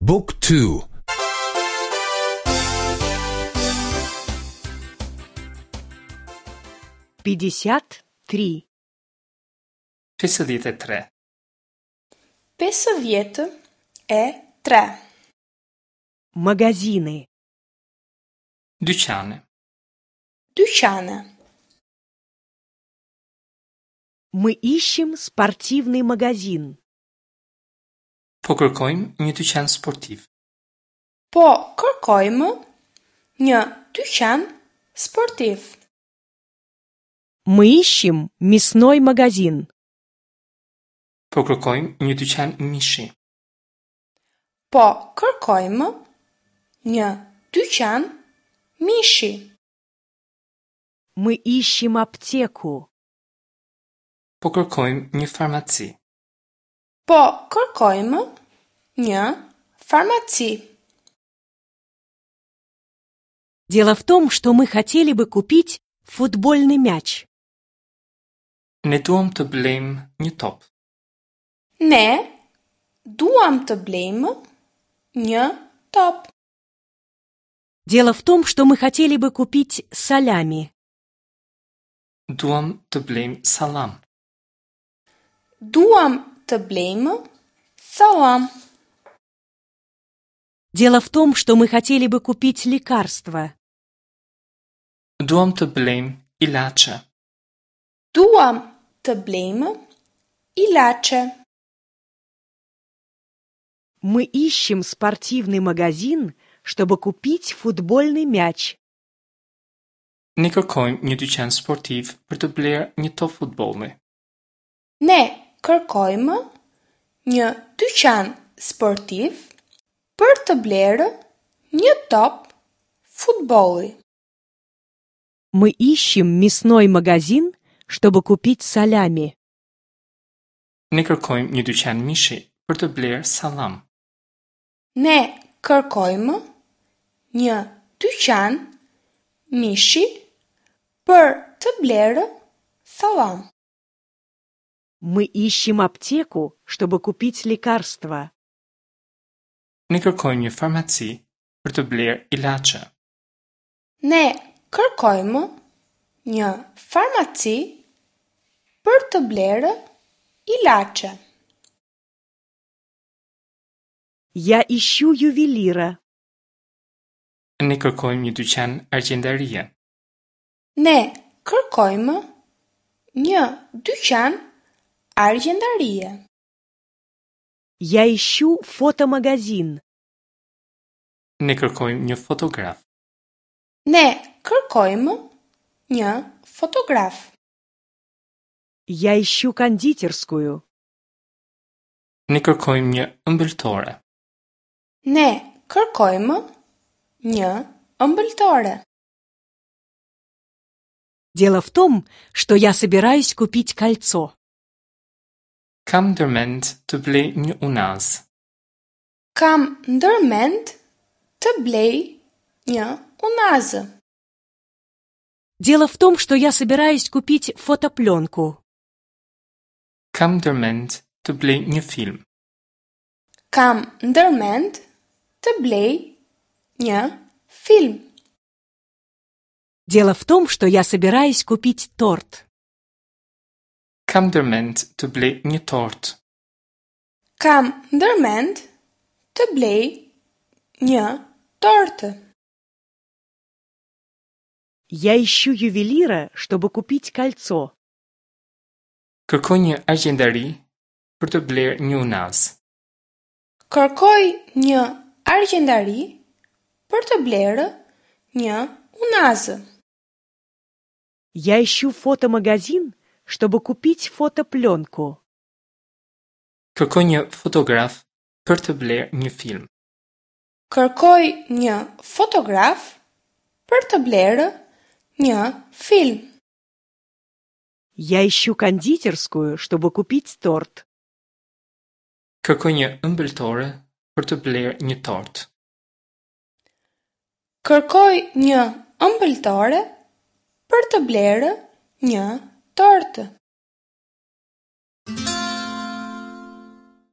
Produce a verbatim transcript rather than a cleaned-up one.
Book two. Пятьдесят три. Pesëdhjetë e tre. Pesëdhjetë e tre. Магазины. Dyqane. Dyqane. Мы ищем спортивный магазин. Po kërkojmë një dyqan sportiv. Po kërkojmë një dyqan sportiv. Мы ищем мясной магазин. Po kërkojmë një dyqan mishi. Po kërkojmë një dyqan mishi. Мы ищем аптеку. Po kërkojmë një farmaci. Po kërkojmë një farmaci. Дело в том, что мы хотели бы купить футбольный мяч. Ne duam të blejmë një top. Ne duam të blejmë një top. Дело в том, что мы хотели бы купить салями. Duam të blejmë sallam. Duam të blejmë sallam. Дело в том, что мы хотели бы купить лекарства. Duam të blejmë ilaçe. Duam të blejmë ilaçe. Мы ищем спортивный магазин, чтобы купить футбольный мяч. Ne kërkojmë një dyqan sportiv për të blerë një top futbolli. Ne kërkojmë një dyqan sportiv për të blerë një top futbolli. Мы ищем мясной магазин, чтобы купить салями. Ne kërkojmë një dyqan mishi për të blerë sallam. Ne kërkojmë një dyqan mishi për të blerë sallam. Мы ищем аптеку, чтобы купить лекарства. Ne kërkojmë një farmaci për të blerë ilaçe. Ne kërkojmë një farmaci për të blerë ilaçe. Я ищу ювелира. Ne kërkojmë një dyqan argjendarie. Ne kërkojmë një dyqan argjendarie. Я ищу фотомагазин. Ne kërkojmë një fotograf. Ne kërkojmë një fotograf. Я ищу кондитерскую. Ne kërkojmë një ëmbëltore. Ne kërkojmë një ëmbëltore. Дело в том, что я собираюсь купить кольцо. Kam ndërmend të blej një unazë. Kam ndërmend të blej një unazë. Дело в том, что я собираюсь купить фотопленку. Kam ndërmend të blej një film. Kam ndërmend të blej një film. Дело в том, что я собираюсь купить торт. Kam ndërmend të blej një tortë. Kam ndërmend të blej një tortë. Я ищу ювелира, чтобы купить кольцо. Kërkoj një argjendari për të blerë një unazë. Kërkoj një argjendari për të blerë një unazë. Я ищу фотомагазин, чтобы купить фотопленку. Kërkoj një fotograf për të blerë një film. Kërkoj një fotograf për të blerë një film. Я ищу кондитерскую, чтобы купить торт. Kërkoj një ëmbëltore për të blerë një tortë. Kërkoj një ëmbëltore për të blerë një tortë.